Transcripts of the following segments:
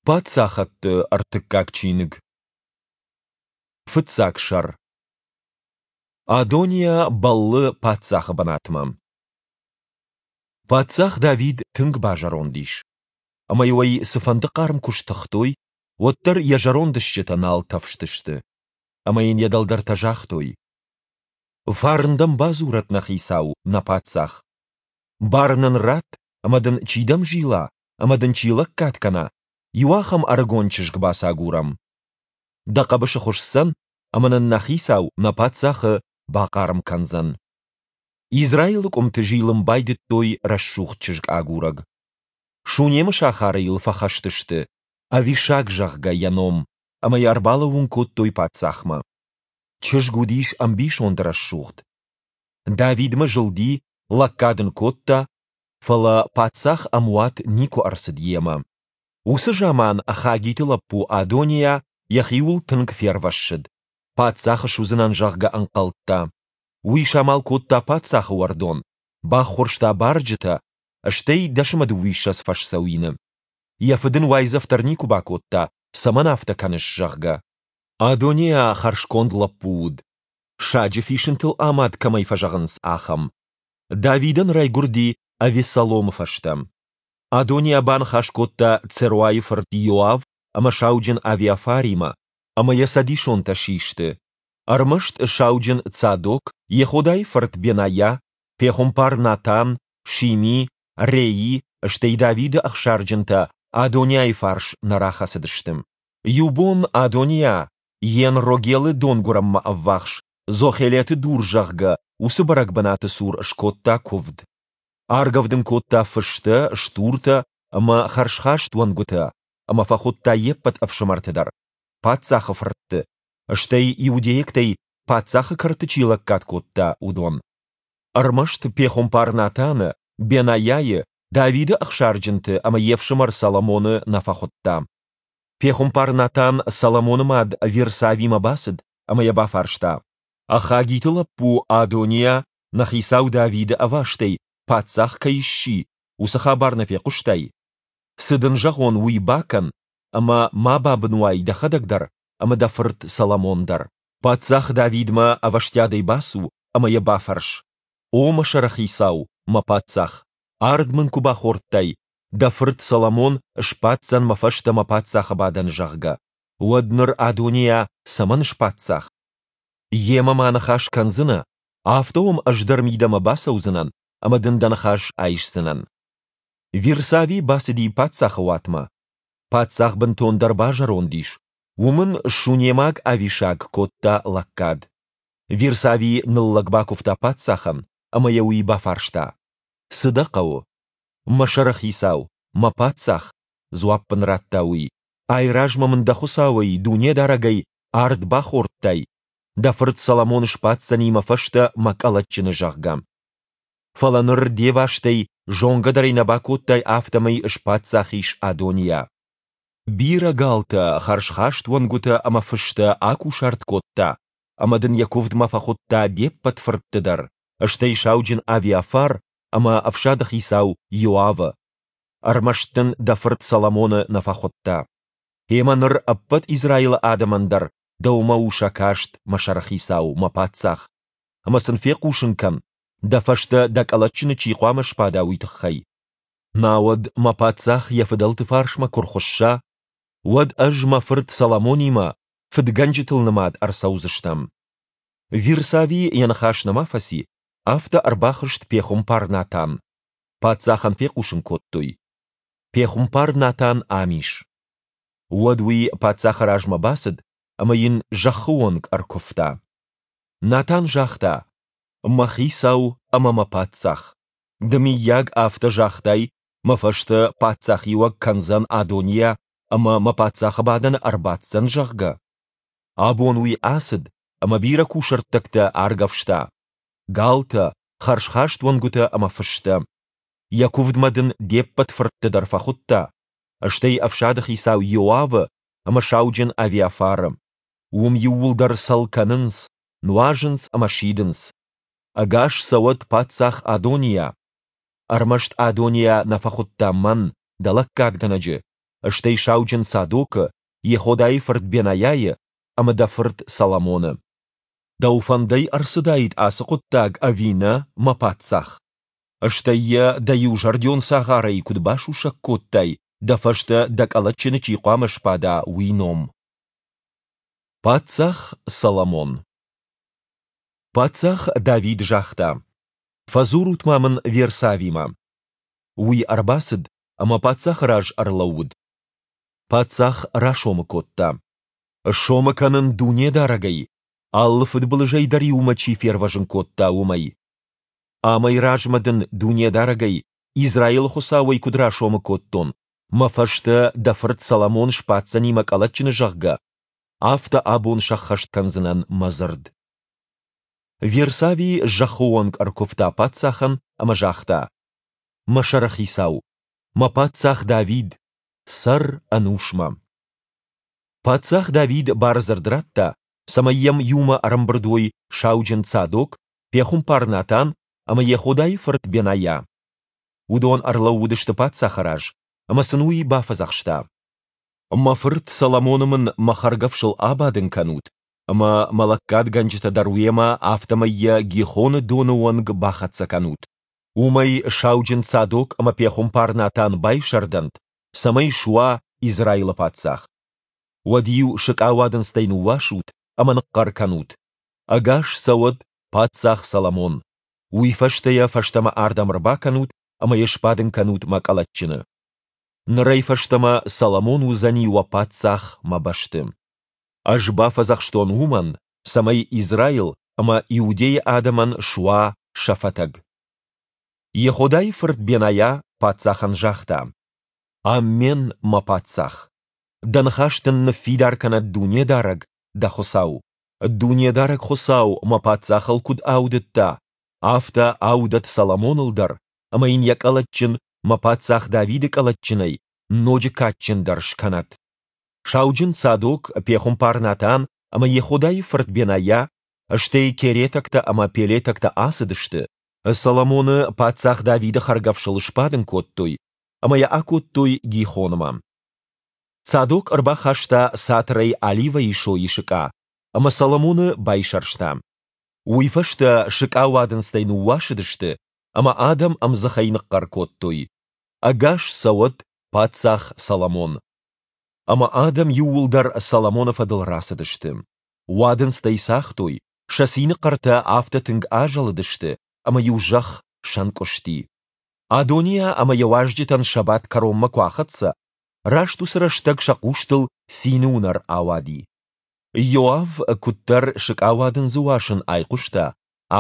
Паддзахӕдты ӕртыккаг чиныг. Фыццаг сӕр. Адониа бӕллы паддзахы бынатмӕ. Паддзах Давид тынг базӕронд ис. Ӕмӕ-иу ӕй цыфӕнды хъарм куы стыхтой, уӕддӕр йӕ зӕронд стджытӕ нал тӕфстысты. Ӕмӕ йын йӕ дӕлдӕртӕ загътой: Фарн дӕм бадзурӕд нӕ хицау, нӕ паддзах. Бар нын ратт, ӕмӕ дын чи дӕм зила ӕмӕ дын чи лӕггад кӕна, иу ахӕм ӕрыгон чызг бацагурӕм. Дӕ хъӕбысы хуысдзӕн ӕмӕ нын нӕ хицау, нӕ паддзахы, бахъарм кӕндзӕн. Израилы къуымты зилын байдыдтой рӕсугъд чызг агурӕг. Сунемы сахары йыл фӕхӕст сты, Авишаг, зӕгъгӕ, йӕ ном, ӕмӕ йӕ ӕрбалӕууын кодтой паддзахмӕ. Чызг уыдис ӕмбисонд рӕсугъд. Давидмӕ зылди, лӕггад ын кодта, фӕлӕ паддзах ӕмуат никуы ӕрцыд йемӕ. Уыцы заман Хагиты лӕппу Адониа йӕхиуыл тынг фервӕссыд, паддзах суыдзынӕн, зӕгъгӕ, ӕнхъӕлдта. Уый самал кодта паддзахы уӕрдон, баххуырста барджытӕ, стӕй 21 фӕсдзӕуины. Йӕ фыд ын уайдзӕф дӕр никуы бакодта, цӕмӕн афтӕ кӕныс, зӕгъгӕ. Адониа хӕрзконд лӕппу уыд, саджы фисынтыл амад кӕмӕй фӕзӕгъынц, ахӕм. Давидӕн райгуырди Авессаломы фӕстӕ. Адониа баныхас кодта Церуайы фырт Иоав ӕмӕ сауджын Авиафаримӕ, ӕмӕ йӕ цӕдисонтӕ систы. Ӕрмӕст сауджын Цадок, Йеходайы фырт Бенайа, пехуымпар Натан, Шими, Реи, стӕй Давиды ӕхсарджынтӕ Адониайы фарс нӕ рахӕцыдысты. Иу бон Адониа Ен-Рогелы донгуырӕнмӕ ӕввахс, Зохелеты дур, зӕгъгӕ, уыцы бӕрӕг бынаты цур скодта куывд. Аргӕвдын кодта фыстӕ, стуртӕ ӕмӕ хӕрзхаст уӕнгуытӕ ӕмӕ фӕхуыдта йе ппӕт ӕфсымӕрты дӕр, паддзахы фыртты, стӕй иудейӕгтӕй паддзахы кӕрты чи лӕггад кодта, уыдон. Ӕрмӕст пехуымпар Натаны, Бенайайы, Давиды ӕхсарджынты ӕмӕ йе фсымӕр Соломоны нӕ фӕхуыдта. Пехуымпар Натан Соломоны мад Вирсавимӕ бацыд ӕмӕ йӕ бафарста: Хагиты лӕппу Адониа нӕ хицау Давиды ӕвастӕй паддзах кӕй сси, уыцы хабар нӕ фехъуыстай? Цы дын зӕгъон, уый бакӕн, ӕмӕ ма бабын уай дӕхӕдӕг дӕр ӕмӕ дӕ фырт Соломон дӕр. Паддзах Давидмӕ ӕвӕстиатӕй бацу ӕмӕ йӕ бафӕрс: О мӕ сӕрыхицау, мӕ паддзах, ард мын куы бахордтай, дӕ фырт Соломон сбаддзӕн мӕ фӕстӕ мӕ паддзахы бадӕны, зӕгъгӕ, уӕд ныр Адониа цӕмӕн спаддзах? Йемӕ ма ныхас кӕндзынӕ, афтӕ уӕм ӕз дӕр мидӕмӕ бацӕудзынӕн ӕмӕ дын дӕ ныхас айсдзынӕн. Вирсави бацыди паддзахы уатмӕ. Паддзах бынтондӕр базӕронд ис, уым ын сунемаг Авишаг кодта лӕггад. Вирсави ныллӕг бакуывта паддзахӕн, ӕмӕ йӕ уый бафарста: Цы дӕ хъӕуы? Мӕ сӕрыхицау, мӕ паддзах, дзуапп ын радта уый, айразмӕ мын дӕ Хуыцауӕй, Дунедарӕгӕй, ард бахордтай, дӕ фырт Соломон сбаддзӕни мӕ фӕстӕ мӕ къӕлӕтджыны, зӕгъгӕ. Фӕлӕ ныр де вастӕй, зонгӕ дӕр ӕй нӕ бакодтай, афтӕмӕй спаддзах ис Адониа. Бирӕ галтӕ, хӕрзхаст уӕнгуытӕ ӕмӕ фыстӕ акусарт кодта, ӕмӕ дын йӕ куывдмӕ фӕхуыдта де ппӕт фыртты дӕр, стӕй сауджын Авиафар ӕмӕ ӕфсады хицау Иоавы. Ӕрмӕст дын дӕ фырт Соломоны нӕ фӕхуыдта. Гъемӕ ныр ӕппӕт Израилы адӕмӕн дӕр дӕумӕ у сӕ каст, мӕ сӕрыхицау, мӕ паддзах. Ӕмӕ сын фехъусын кӕн, дӕ фӕстӕ дӕ къӕлӕтджыны чи хъуамӕ сбада, уый тыххӕй. Науӕд мӕ паддзах йӕ фыдӕлты фарсмӕ куы рхуысса, уӕд ӕз мӕ фырт Соломонимӕ фыдгӕнджытыл нымад ӕрцӕудзыстӕм. Вирсави йӕ ныхас нӕма фӕци, афтӕ ӕрбахызт пехуымпар Натан. Паддзахӕн фехъусын кодтой: Пехуымпар Натан ам ис. Уӕд уый паддзахы размӕ бацыд ӕмӕ йын зӕххы онг ӕркуывта. Натан загъта: Мӕ хицау ӕмӕ мӕ паддзах, ды мыййаг афтӕ загътай, мӕ фӕстӕ паддзахиуӕг кӕндзӕн Адониа ӕмӕ мӕ паддзахы бадӕны ӕрбаддзӕн, зӕгъгӕ? Абон уый ацыд ӕмӕ бирӕ кусӕрттӕгтӕ аргӕвста, галтӕ, хӕрзхаст уӕнгуытӕ ӕмӕ фыстӕ. Йӕ куывдмӕ дын де ппӕт фыртты дӕр фӕхуыдта, стӕй ӕфсады хицау Иоавы ӕмӕ сауджын Авиафары. Уым иууылдӕр цӕл кӕнынц, нуазынц ӕмӕ сидынц. Ӕгас цӕуӕд паддзах Адониа! Ӕрмӕст Адониа нӕ фӕхуыдта мӕн, дӕ лӕггадгӕнӕджы. стӕй сауджын Садокы, Йеходайы фырт Бенайайы ӕмӕ дӕ фырт Соломоны. Дӕу фӕндӕй ӕрцыдаид ацы хъуыддаг ӕви нӕ, мӕ паддзах? Стӕй йӕ дӕ иузӕрдион цагъарӕй куыд басусӕг кодтай, дӕ фӕстӕ дӕ къӕлӕтджыны чи хъуамӕ сбада, уый ном? Паддзах Соломон Паддзах Давид загъта, Фӕдзурут-ма мын Вирсавимӕ. Уый ӕрбацыд ӕмӕ паддзахы раз ӕрлӕууыд. Паддзах расомы кодта. Сомы кӕнын Дунедарӕгӕй, алы фыдбылызӕй дӕр-иу мӕ чи фервӕзын кодта, уымӕй. Амӕй размӕ дын Дунедарӕгӕй, Израилы Хуыцауӕй куыд расомы кодтон, мӕ фӕстӕ дӕ фырт Соломон сбаддзӕни мӕ къӕлӕтджыны, зӕгъгӕ, афтӕ абон сӕххӕст кӕндзынӕн мӕ дзырд. Вирсави зӕххы онг ӕркуывта паддзахӕн ӕмӕ загъта: Мӕ сӕрыхицау, мӕ паддзах Давид, цӕр ӕнусмӕ! Паддзах Давид бардзырд радта, цӕмӕй йӕм иумӕ ӕрӕмбырд уой сауджын Цадок, пехуымпар Натан ӕмӕ Йеходайы фырт Бенайа. Уыдон ӕрлӕууыдысты паддзахы раз, ӕмӕ сын уый бафӕдзӕхста: Мӕ фырт Соломоны мын мӕ хӕргӕфсыл абадын кӕнут, ӕмӕ мӕ лӕггадгӕнджытӕ дӕр уемӕ, афтӕмӕй йӕ Гихоны доны онг бахӕццӕ кӕнут. Уым ӕй сауджын Цадок ӕмӕ пехуымпар Натан байсӕрдӕнт, цӕмӕй суа Израилы паддзах. Уӕд-иу сыкъауадындзтӕй ныууасут ӕмӕ ныхъхъӕр кӕнут: Ӕгас цӕуӕд паддзах Соломон! Уый фӕстӕ йӕ фӕстӕмӕ ардӕм ӕрбакӕнут ӕмӕ йӕ сбадын кӕнут мӕ къӕлӕтджыны. Нырӕй фӕстӕмӕ Соломон уыдзӕни уӕ паддзах мӕ бӕсты. Ӕз бафӕдзӕхстон уымӕн, цӕмӕй Израил ӕмӕ Иудейы адӕмӕн суа сӕ фӕтӕг. Йеходайы фырт Бенайа паддзахӕн загъта: Аммен, мӕ паддзах! Дӕ ныхас дын ныффидар кӕнӕд Дунедарӕг, дӕ Хуыцау! Дунедарӕг Хуыцау мӕ паддзахыл куыд аудыдта, афтӕ аудӕд Соломоныл дӕр ӕмӕ йын йӕ къӕлӕтджын мӕ паддзах Давиды къӕлӕтджынӕй ноджы кадджындӕр скӕнӕд. Сауджын Цадок, пехуымпар Натан ӕмӕ Йеходайы фырт Бенайа, стӕй керетӕгтӕ ӕмӕ пелетӕгтӕ ацыдысты, Соломоны паддзах Давиды хӕргӕфсыл сбадын кодтой ӕмӕ йӕ акодтой Гихонмӕ. Цадок ӕрбахаста цатырӕй оливӕйы сойы сыкъа ӕмӕ Соломоны байсӕрста. Уый фӕстӕ сыкъауадындзтӕй ныууасыдысты, ӕмӕ адӕм ӕмдзыхӕй ныхъхъӕр кодтой: Ӕгас цӕуӕд паддзах Соломон! Ӕмӕ адӕм иууылдӕр Соломоны фӕдыл рацыдысты. Уадындзтӕй цагътой, сӕ цины хъӕртӕ афтӕ тынг азӕлыдысты, ӕмӕ-иу зӕхх сӕнкъуысти. Адониа ӕмӕ йӕ уазджытӕн сӕ бадт кӕронмӕ куы ахӕццӕ, раст уыцы рӕстӕг сӕ хъустыл цины уынӕр ауади. Иоав куыддӕр сыкъауадындзы уасын айхъуыста,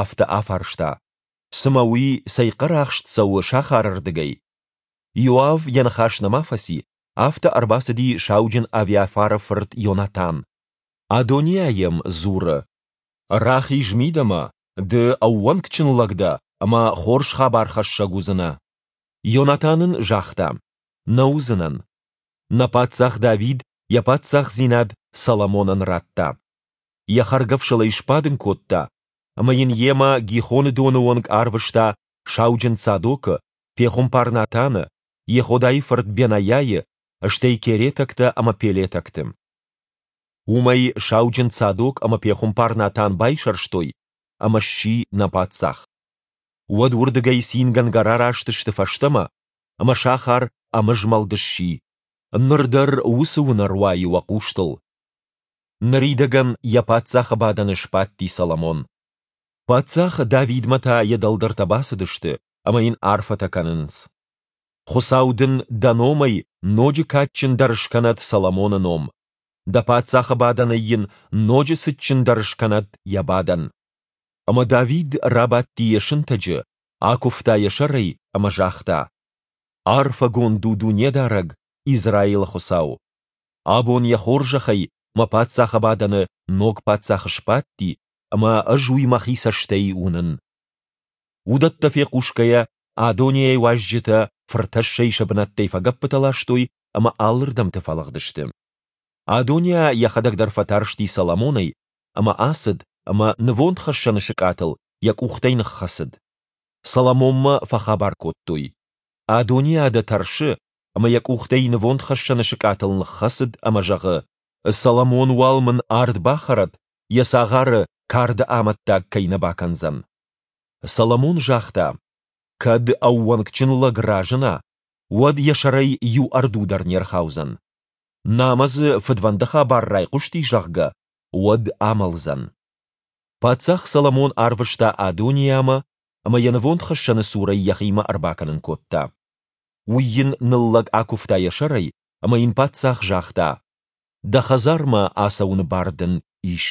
афтӕ афарста, Цымӕ уый цӕй хъӕрахст цӕуы сахары рдыгӕй? Иоав йӕ ныхас нӕма фӕци, афтӕ ӕрбацыди сауджын Авиафары фырт Йонатан. Адониа йӕм дзуры, Рахиз мидӕмӕ, ды ӕууӕнкджын лӕг дӕ ӕмӕ хорз хабархӕссӕг уыдзынӕ. Йонатан ын загъта, Нӕ уыдзынӕн. Нӕ паддзах Давид йӕ паддзахдзинад Соломонӕн радта. Йӕ хӕргӕфсыл ӕй сбадын кодта ӕмӕ йын йемӕ Гихоны доны онг арвыста сауджын Цадокы, пехуымпар Натаны, Йеходайы фырт Бенайайы, стӕй керетӕгтӕ ӕмӕ пелетӕгты. Уым ӕй сауджын Цадок ӕмӕ пехуымпар Натан байсӕрстой, ӕмӕ сси нӕ паддзах. Уӕд уырдыгӕй цингӕнгӕ рараст сты фӕстӕмӕ, ӕмӕ сахар ӕмызмӕлд сси. Ныр дӕр уыцы уынӕр уайы уӕ хъустыл. Ныридӕгӕн йӕ паддзахы бадӕны сбадти Соломон. Паддзах Давидмӕ та йӕ дӕлдӕртӕ бацыдысты ӕмӕ йын арфӕтӕ кӕнынц. Хуыцау дын дӕ номӕй ноджы кадджындӕр скӕнӕд Соломоны ном, дӕ паддзахы бадӕнӕй йын ноджы цытджындӕр скӕнӕд йӕ бадӕн. Ӕмӕ Давид рабадти йӕ сынтӕджы, акуывта йӕ сӕрӕй ӕмӕ загъта, Арфӕгонд у Дунедарӕг, Израилы Хуыцау! Абон йӕ хорзӕхӕй мӕ паддзахы бадӕны ног паддзах сбадти, ӕмӕ ӕз уый мӕхи цӕстӕй уынын. Уыдӕттӕ фехъусгӕйӕ, Адонийӕ уазджытӕ фыртӕссӕй сӕ бынӕттӕй фӕгӕппытӕ ластой ӕмӕ алырдӕмты фӕлыгъдысты. Адониа йӕхӕдӕг дӕр фӕтарсти Соломонӕй ӕмӕ ацыд ӕмӕ нывондхӕссӕны сыкъатыл йӕ къухтӕй ныххӕцыд. Соломонмӕ фӕхабар кодтой: Адониа дӕ тӕрсы, ӕмӕ йӕ къухтӕй нывондхӕссӕны сыкъатыл ныххӕцыд ӕмӕ зӕгъы, Соломон уал мын ард бахӕрӕд, йӕ цагъары карды амӕттаг кӕй нӕ бакӕндзӕн. Соломон загъта, Кӕд ӕууӕнкджын лӕг разына, уӕд йӕ сӕрӕй иу ӕрду дӕр не рхаудзӕн. Намӕ дзы фыдвӕнды хабар райхъуысти, зӕгъгӕ, уӕд амӕлдзӕн. Паддзах Соломон арвыста Адониамӕ ӕмӕ йӕ нывондхӕссӕны цурӕй йӕхимӕ ӕрбакӕнын кодта. Уый йын ныллӕг акуывта йӕ сӕрӕй, ӕмӕ йын паддзах загъта, Дӕ хӕдзармӕ ацӕуыны бар дын ис.